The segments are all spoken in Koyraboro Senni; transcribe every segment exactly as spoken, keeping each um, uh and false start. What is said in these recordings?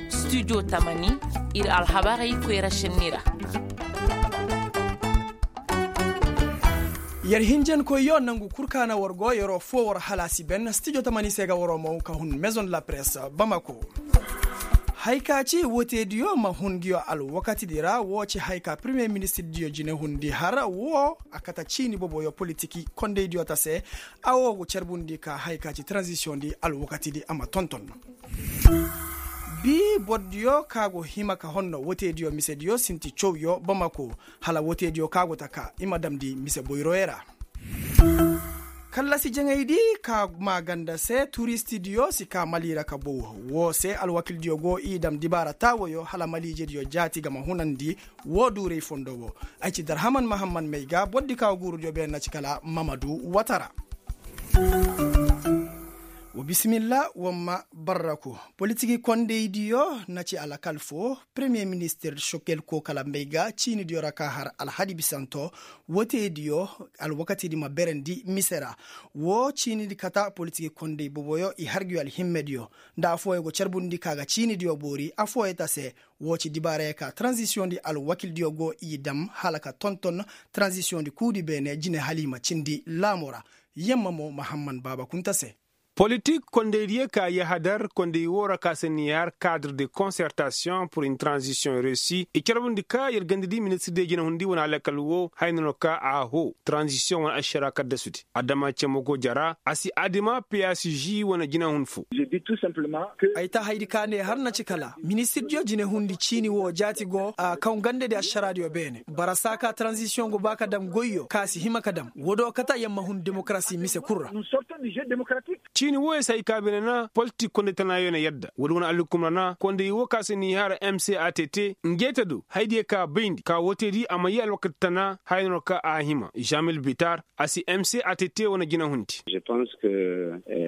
Studio tamani, ir alhabarey koyra šenni ra. Yer hinjankoyyo nangu kul ka na war go yeroo foo war halaasi ben studio tamani se ga waroo moŋ ka hun maison de la presse bamako. Haya ka ci woteediyo ma hun nguyo alwakatidi ra woo ci haya ka premiyer ministirdiyo jinehundi har woo a kate ciini boboyo politiki kondaydiyo ta se. A woo go carbundi ka haya ka ci taranzisiyoŋdi alwakatidi a ma tonton. Bii bordiyo ka go hima ka honno woteediyo misediyo sinti cawyo bamako. Hala woteediyo ka go ta ka i ma damndi mise boyroyo ra. Kallasi jaŋaydi ka maaganda se turistidiyo si ka mali ra ka bow. Woo se alwakildiyo go i dam dibaara taawoyo hala maliijediyo jaati ga ma hunandi. Woo duuray fondo woo ay ci darhaman mahamman may ga bordi ka guurudiyo beene na ci kala mamadu watara. Wa bisimilla wamma barraku. Politiki kondaydiyo na ci alakal foo premiyer ministir sokel koo kala mbay ga ciinidiyo ra ka har alhadi bisanto. Woteediyo alwakatidi ma berandi mise ra. Woo ciinidi kata politiki konday boboyo i har nguyo alhimmediyo nda affooyo go carbundi ka ga ciinidiyo boori affooyo ta se. Woo ci dibaarayo ka taranzisiyoŋdi alwakildiyo go i dam hala ka tonton taranzisiyoŋdi kuudi beene jine hala i ma cindi laamo ra. Yamma mo mahamman baaba kunta se. Politik kondaydiyo ka yahadar konday woo ra ka se ni har kaadr de konsertasiyoŋ pur in taranzisiyoŋ reesi i carbundi ka yer gandadi ministirdiyo jinehundi wane alakal woo haya no ka a hoo taranzisiyoŋ wane ašara kaddasudi adama cemo go jara a si adima psg wane jinehun foo. Ay ta haydi ka ne har na ci kala ministirdiyo jinehundi ciini woo jaati go a kaŋ gandadi ašaraadiyo beene bara saa ka taranzisiyoŋ go ba ka dam goyyo ka si hima ka dam woodiyo kate yamma hun demokarasi mise kul ra. Ciini wooyo si hay ka beene na politik konday tanaayo na yadda woodi wane alhukum ra na konday woo ka se ni har mcat. Ngeete do haydiyo ka bayndi ka wootedi a ma yee alwakati tana haya no ka a hima žamil bitar a si mcat wane jinahundi.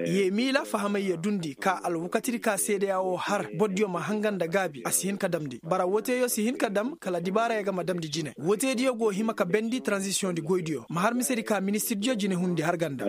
Ye miila fahamayyo dundi ka alwakatidi ka seedeya woo har bordiyo ma hanga nda gaabi a si hin ka damndi bara wooteyo si hin ka dam kala dibaarayo ga ma damndi jine wooteediyo go hima ka bendi taranzisiyoŋdi goydiyo ma har misedi ka ministirdiyo jinehundi har ga nda.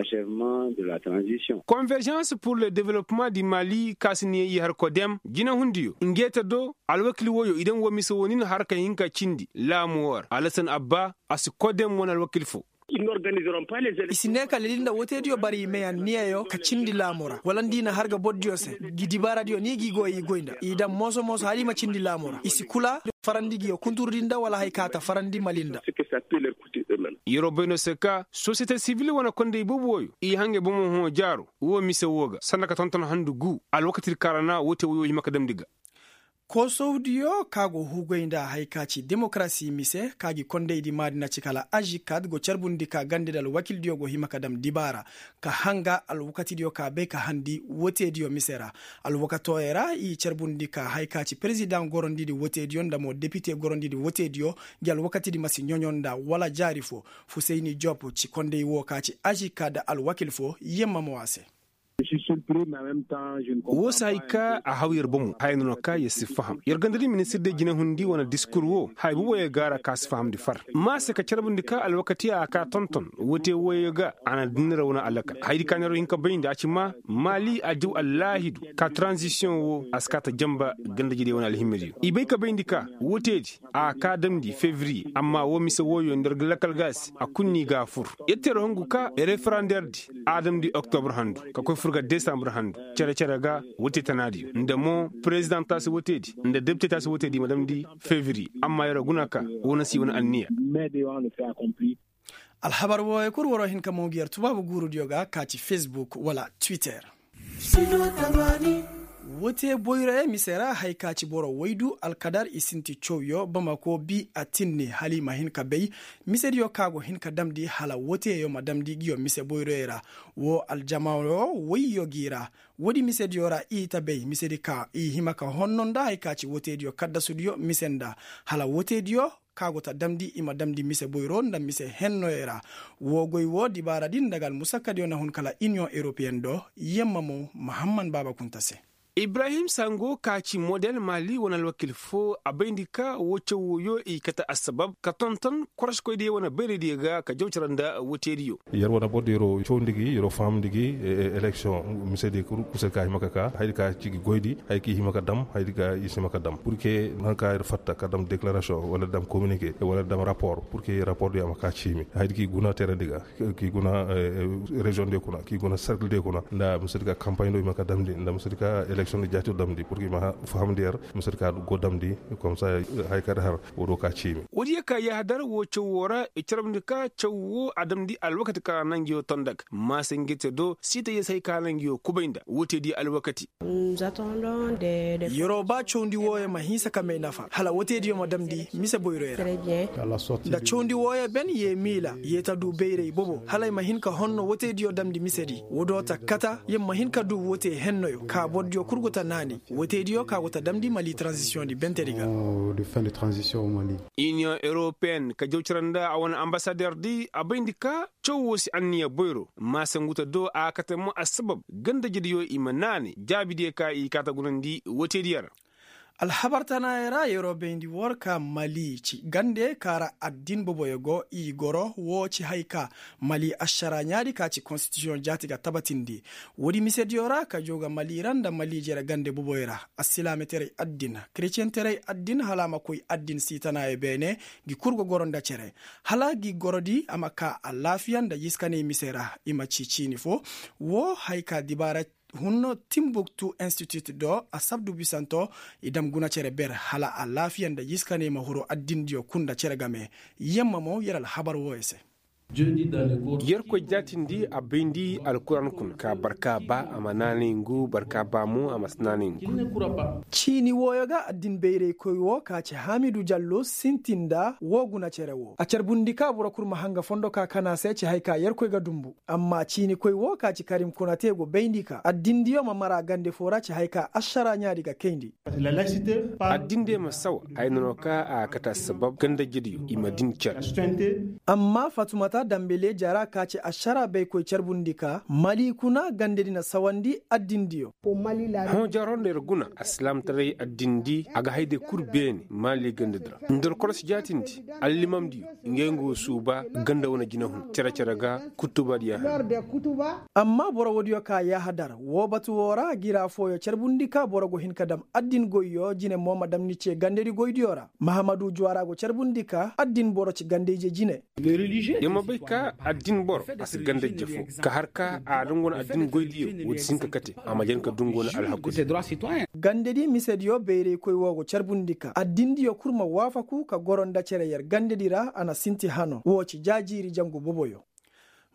Konveržans pur le developman di mali ka si niya i har kodem jinehundiyo ngeete do alwakil wooyo i daŋ woo mise woo nin har ka hin ka cindi laamu woo ra alasan abba a si kodem wane alwakil foo. I si ne ka leli nda wooteediyo bara i may anniyayo ka cindi laamo ra wala nda i na har ga bordiyo se. Gi dibaaradiyo ni gi goy i goy nda i daŋ mooso mooso hala i ma cindi laamo ra i si kula farandi ngiyo kunturudi nda wala haya ka ta farandi mali nda. Yeroo bay no se ka sosiyete sibil wane konday boobo wooyo i hangay bomo hõ jaaro woo mise woo ga sanda ka tonton handu guu alwakatidi ka ra na woote wooyo hima ka damndi ga. Koosowdiyo ka go hugay nda haya ka ci demokarasi mise ka gi kondaydi maadi na ci kala ažikad go carbundi ka gandadi alwakildiyo go hima ka dam dibaara ka hanga alwakatidiyo ka bay ka handi woteediyo mise ra. Alwakatooyo ra i carbundi ka haya ka ci perezidaŋ gorondidi woteediyo nda mo depite gorondidi woteediyo ngi alwakatidi ma si ɲoɲo nda wala jaari foo. Fusayni jop ci konday woo ka ci ažikad alwakil foo yemma mo a se. Woo si hay ka a haw yer bomo haya no no ka yer si faham yer ganda di ministir de jinehundi wane diskur woo haya boboyo gaara ka si fahamndi far ma se ka carbundi ka alwakati a ka tonton woote wooyo ga a na dinnira wane alakal hayadi ka neeroo hin ka bayndi a ci ma maali a jaw allaahidu ka taranzisiyoŋ woo a si kaa ta janba ganda jidey wane alhimmediyo i bay ka bayndi ka wooteedi a kaa damndi fevriye amma woo mise wooyo nda yer ga lakal ga a se a kul n'i ga a fur. Yer teeroo hungu ka referanderdi a damndi oktobr handu ka koy fur ga desambre handu cere-cere ga wote tanaadiyo nda mo perezidaŋ taasi woteedi nda depite taasi woteedi i ma damndi fevriye amma yer guna ka woo na si wane anniya. Alhabar wooyo kul waroo hin ka mo ngi yer tubaabu guurudiyo ga ka ci fesbuk wala twitter. Woo te boyroyo mise ra haya ka ci boro waydu alkadar i sinti cawyo bamako bi a tinni hala i ma hin ka bay misediyo ka go hin ka damndi hala woo teyo ma damndi nguyo mise boyroyo ra. Woo aljamaayo wayyo gi ra woodi misediyo ra i ta bay misedi ka i hima ka honno nda haya ka ci woo teediyo kaddasudiyo mise nda hala woo teediyo ka go ta damndi i ma damndi mise boyro nda mise hennoyo ra. Woo goy woo dibaaradi nda ga almusakkadiyo na hun kala iniyoŋ europeyen do yemma mo mahamman baaba kunta se. Ibrahim sango ka ci model mali wane alwakil fo a bayndi ka woo caw wooyo i kate assabab ka tonton koroskoydiyo wane bayraydiyo ga ka jaw cara nda woteediyo. Yer wane bordiyo yer woo cawndi gi yer woo fahamndi gi. Eleksiyoŋ misedi kul kusay ka hima ka kaa hayadi ka ci gi goydi hayadi ka i hima ka dam hayadi ka i si hima ka dam pur ke nanka yer fatta ka dam deklarasiyoŋ wala dam kominike wala dam rapor pur ke rapor diyo a ma kaa ciimi hayadi ka i guna teeredi ga, ka i guna reziyoŋ diyo kuna ka i guna serkil diyo kuna nda misedi ka kampaɲ do i ma ka damndi nda misedi ka eleksiyoŋ di jaati damndi pur ka i ma fahamndi yer misedi ka go damndi. Komsa haya ka di har woo do ka ciimi. Woodiyo ka yahadar woo caw woo ra i carabndi ka caw woo a damndi alwakati ka ra na ngiyo tondag maase ngirte do siitayya se hay ka ra na ngiyo kubay nda wootediyo alwakati. Yeroo ba cawndi wooyo ma hinsa ka may nafa hala woteediyo ma damndi mise boyroyo ra. Nda cawndi wooyo ben yee miila yee ta duu bayray bobo hala ay ma hin ka honno woteediyo damndi misedi woodoo ta kata yer ma hin ka duu wotee hennoyo ka bordiyo kul go ta naani woteediyo ka go ta damndi mali taranzisiyoŋ di bentedi ga. Iniyoŋ eropeyen ka jaw cara nda a wane ambasaderdi a bayndi ka caw woo si anniya boyro maase ngu ta do a kate mo assabab gandajediyo i ma naanay jaabidiyo ka i kaa ta gunandi woteediyo ra. Alhabar tanaayoo ra yeroo bayndi woo ra ka mali ci gande ka ra addin boboyo go i goro woo ci hay ka mali ašara ɲaadi ka ci konstitisiyoŋ jaati ga tabatindi. Woodi misediyo ra ka jaw ga mali ra nda mali jere gande boboyo ra. Assilaametaray addin kretiyeŋtaray addin hala a ma koy addin sii tanaayoo beene. Ngi kul go goro nda cere hala ngi gorodi a ma kaa alaafiya nda yiskanay mise ra. I ma ci ciini foo woo hay ka dibaara hunno timbuktu institut do asabdu bisanto i dam guna cere ber hala alaafiya nda yiskanay ma huru addindiyo kul nda cere game. Yemma mo yer alhabar wooyo se. Yerkoy jaatindi a bayndi alkuraan kuna ka barka ba a ma naanay ngu barka ba mo a ma si naanay ngu. Ciini wooyo ga addin bayraykoy woo ka ci haamidu jallo sintin nda woo guna cere woo a carbundi ka boro kul ma hanga fondo ka kana se ci hay ka yerkoy ga dumbu. Amma ciinikoy woo ka ci karim kuna te go bayndi ka addindiyo ma mara gande foo ra ci hay ka ašara ɲaadi ga kayndi. Addindiyo ma sawa ay na no ka a kate assabab gandajediyo i ma din care. Amma fatumata dambele jara ka ci ašara baykoy carbundi ka mali kuna gandedi na sawandi addindiyo. Hõ jaro nda yer guna assilaamtaray addindi a ga hayday kul beene mali gandedi ra nda yer korosi jaatindi allimamdiyo. Ngey nga wo suuba ganda wane jinahun cere-cere ga kutubadiyo. Amma boro woodiyo ka yahadar woo batu woo ra gira fooyo carbundi ka boro go hin ka dam addin goyyo jine mo ma dam ni ce gandedi goydiyo ra mahamadu juwara go carbundi ka addin boro ci gandayje jine. Yer ma bay ka addin boro a si gandayje foo ka har ka a dungu na addin goydiyo woodi si hin ka kate a ma jen ka dungu na alhakudiyo. Gandedi misediyo bayraykoy woo go carbundi ka addindiyo kul ma waafaku ka goro nda cere yer gandedi ra a na sinti hano woo ci jaajiiri jangu boboyo.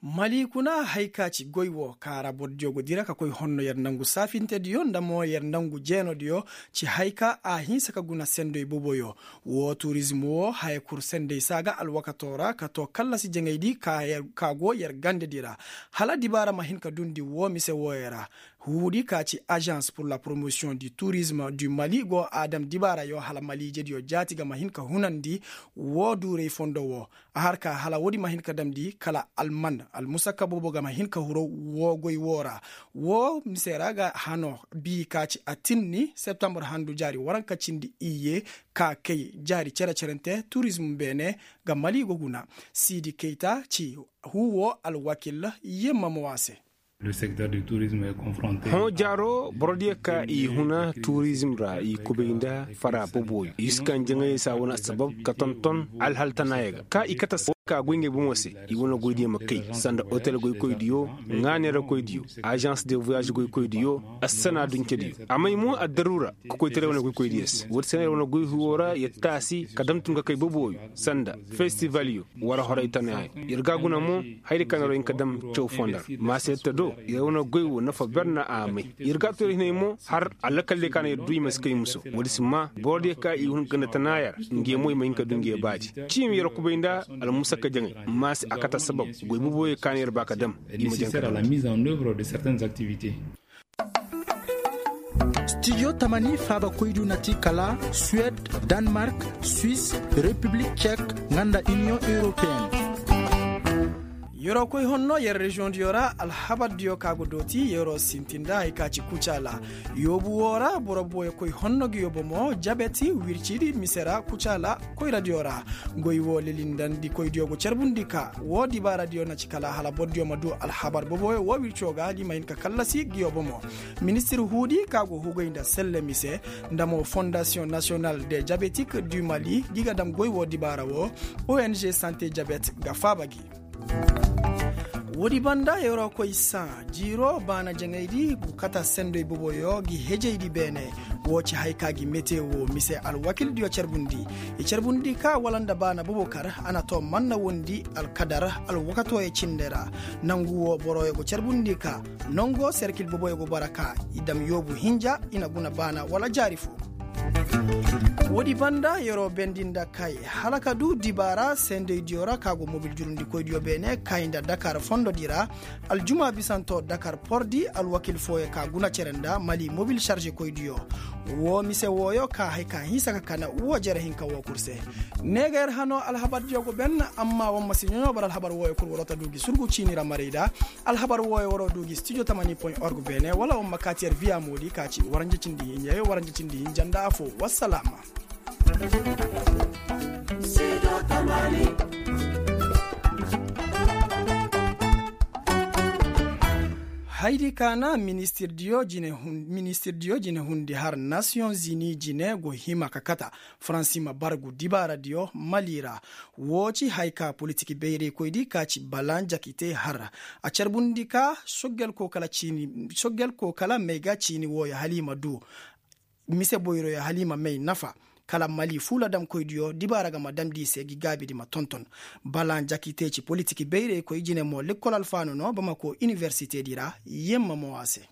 Mali kuna hay ka ci goy woo ka ra bordiyo go dira ka koy honno yer nangu saafintediyo nda mo yer nangu jeenodiyo ci hay ka a hinsa ka guna sendoy boboyo. Woo turizm woo haya kul senday saa ga alwakatoo ra ka too kallasi jaŋaydi ka go yer gandedi ra hala dibaara ma hin ka dundi woo mise wooyo ra. Huudi ka ci azans pur la promosiyoŋ di turizm di mali go a dam dibaarayo hala maliijediyo jaati ga ma hin ka hunandi woo duuray fondo woo. A har ka hala woodi ma hin ka damndi kala alman almusakka boobo ga ma hin ka huru woo goy woo ra. Woo mise ra ga hano bii ka ci atinni septambur handu jaari waranka cindi iyye ka kay jaari cere-cerente turizm beene ga mali go guna. Siidi kayta ci huu woo alwakil yemma mo a se. Hõ jaaro borodiyo ka i huna turizm ra i kubay nda fara boboyo i si kaŋ jaŋayey se a wane assabab ka tonton alhal tanaaya ga ka i kate ka goy ngey bomo se. I wane goydiyo ma kay sanda otel goykoydiyo ŋaaneerakoydiyo azans de voyage goykoydiyo assana duncediyo a may mo addaruura ka koytaray wane goykoydiyo se woodi se no yer wane goy huwo ra yer taasi ka dam tun ka kay boboyo sanda festivalyo war horay tanaaya. Yer ga guna mo hayadi kaŋ na yer wo hin ka dam caw foo nda ra maase yer ta do yer wane goy wo nafa ber na a may. Yer ga a to yer hinay mo har alakal diyo kaŋ na yer du i ma si kay muso woodi si maa boro diyo kaŋ i hun ganda tanaaya ra. Ngey mo i ma hin ka du ngey baadi ciimi yer kubay nda almusakka jaŋay maase a kate assabab goy boboyo kaŋ na yer ba ka dam i ma jaŋ ka dam. Stijo tamani faabakoydu na ti kala suwed, danmark, swis, repiblik cek, nga nda iniyoŋ europeyen. Yer'o koy honno yer reziyoŋ diyo ra alhabar diyo ka go dooti yer'o sintin nda hari ka ci kucaala. Yoobu woo ra boro booyo koy honno gi yoo bomo jabet wircidi mise ra kucaala koyra diyo ra. Goy woo lilindandi koy diyo go carbundi ka woo dibaara diyo na ci kala hala boro diyo ma du alhabar booboyo woo wirco ga di ma hin ka kallasi gi yoo bomo. Ministir huudi ka go hugay nda selle mise nda mo fondasiyoŋ nasiyonal de jabetik du mali gi ga dam goy woo dibaara woo. Ong sante jabet ga faaba gi. Woodi banda yer'o koy saa jiiroo baana jaŋaydi gu kata sendoy boboyo gi hejaydi beene. Woo ci hay ka gi mete woo mise alwakildiyo carbundi. I carbundi ka wala nda baana bobo kar a na too manna wondi alkadar alwakatooyo cinde ra. Nangu woo boroyo go carbundi ka nongo serkil boboyo go bara ka i dam yoobu hinja i na guna baana wala jaari fo. Woodi banda yer'o bendi nda kay hala ka du dibaara sendeydiyo ra ka go mobil jurundikoydiyo beene kay nda dakar fondodi ra. Aljuma bisanto dakar pordi alwakil fooyo ka guna cere nda mali mobil sarzikoydiyo. Woo mise wooyo ka hay ka hinsa ka kana woo jere hinka woo kul se. Ne ga yer hano alhabardiyo go ben. Amma war ma si ɲoɲo bara alhabar wooyo kul war'o ta du gi surgu ciini ra marayda. Alhabar wooyo war'o du gi studio tamani point org beene wala war ma kaati yer viya moodi ka ci waranja cindi hinja nda afo. Wassalaama. Haydi ka na ministirdiyo jine hundi har nasiyoŋ zini jine go hima ka kata faransi ma bargu dibaaradiyo mali ra. Woo ci hay ka politik bayraykoydi ka ci balan jakite har a carbundi ka soggel ko kala may ga ciini wooyo hala i ma du mise boyroyo hala i ma may nafa. Kala mali fuuladamkoydiyo dibaara ga ma damndi i se gi gaabidi ma tonton. Balan jakite ci politik bayraykoy jine mo lekkol alfaanu no bamako iniwersitedi ra. Yemma mo a se.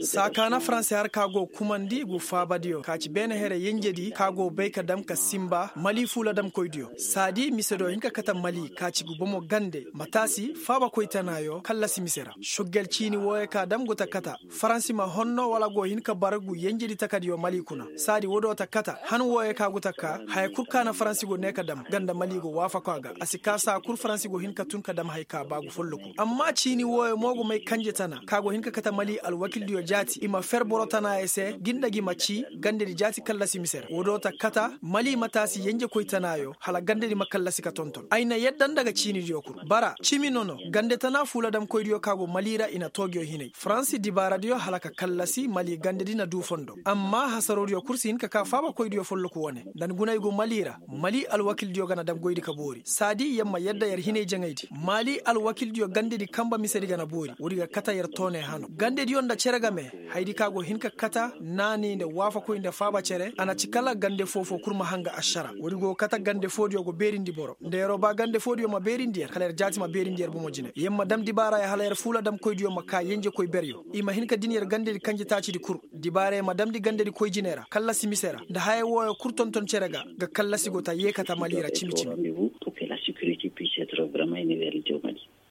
Saa ka na faransi har ka go kumandi gu faabadiyo ka ci beene here yenjedi ka go bay ka dam ka sinba mali fuuladamkoydiyo saadi mise do hin ka kata mali ka ci gu bomo gande ma taasi faabakoy tanaayo kallasi mise ra. Soggel ciini wooyo ka dam gu ta kata faransi ma honno wala go hin ka bara gu yenjedi takadiyo mali kuna saadi woo do ta kata han wooyo ka gu ta ka haya kul ka na faransi go ne ka dam ganda mali go waafako a ga a si kaa saa kul faransi go hin ka tun ka dam haya ka ba gu folloku amma ciini wooyo mo go may kanje tana ka go hin ka kate mali alwakildiyo jaati i ma fer boro tanaayey se gi nda gi ma cii gandedi jaati kallasi mise ra woo do ta kata mali ma taasi yenjekoy tanaayo hala gandedi ma kallasi ka tonton ay na yadda nda ga ciinidiyo kul bara cimi nono gande tana fuuladamkoydiyo ka go mali ra i na too ngiyo hinay faransi dibaaradiyo hala ka kallasi mali gandedi na duu fondo amma hasaroodiyo kul si hin ka kaa faabakoydiyo folloku wane nda ni guna ay go mali ra mali alwakildiyo ga na dam goydi ka boori saadi yer ma yadda yer hinay jaŋaydi mali alwakildiyo gandedi kanba misedi ga na boori woodi ga kata yer tooney hano gandediyo nda cere game hayadi ka go hin ka kata naani nda waafakoy nda faaba cere a na ci kala gande foo-foo kul ma hanga ašara woodi go ga kata gande foodiyo go beerindi boro nda yer'o ba gande foodiyo ma beerindi yer kala yer jaati ma beerindi yer bomo jine yer ma dam dibaaraya hala yer fuuladamkoydiyo ma kaa yenjekoy beryo i ma hin ka din yer gandedi kanje taacidi kul dibaaraya ma damndi gandedi koy jine ra kallasi mise ra nda haya wooyo kul tonton cere ga ga kallasi go ta yee kata mali ra cimi-cimi.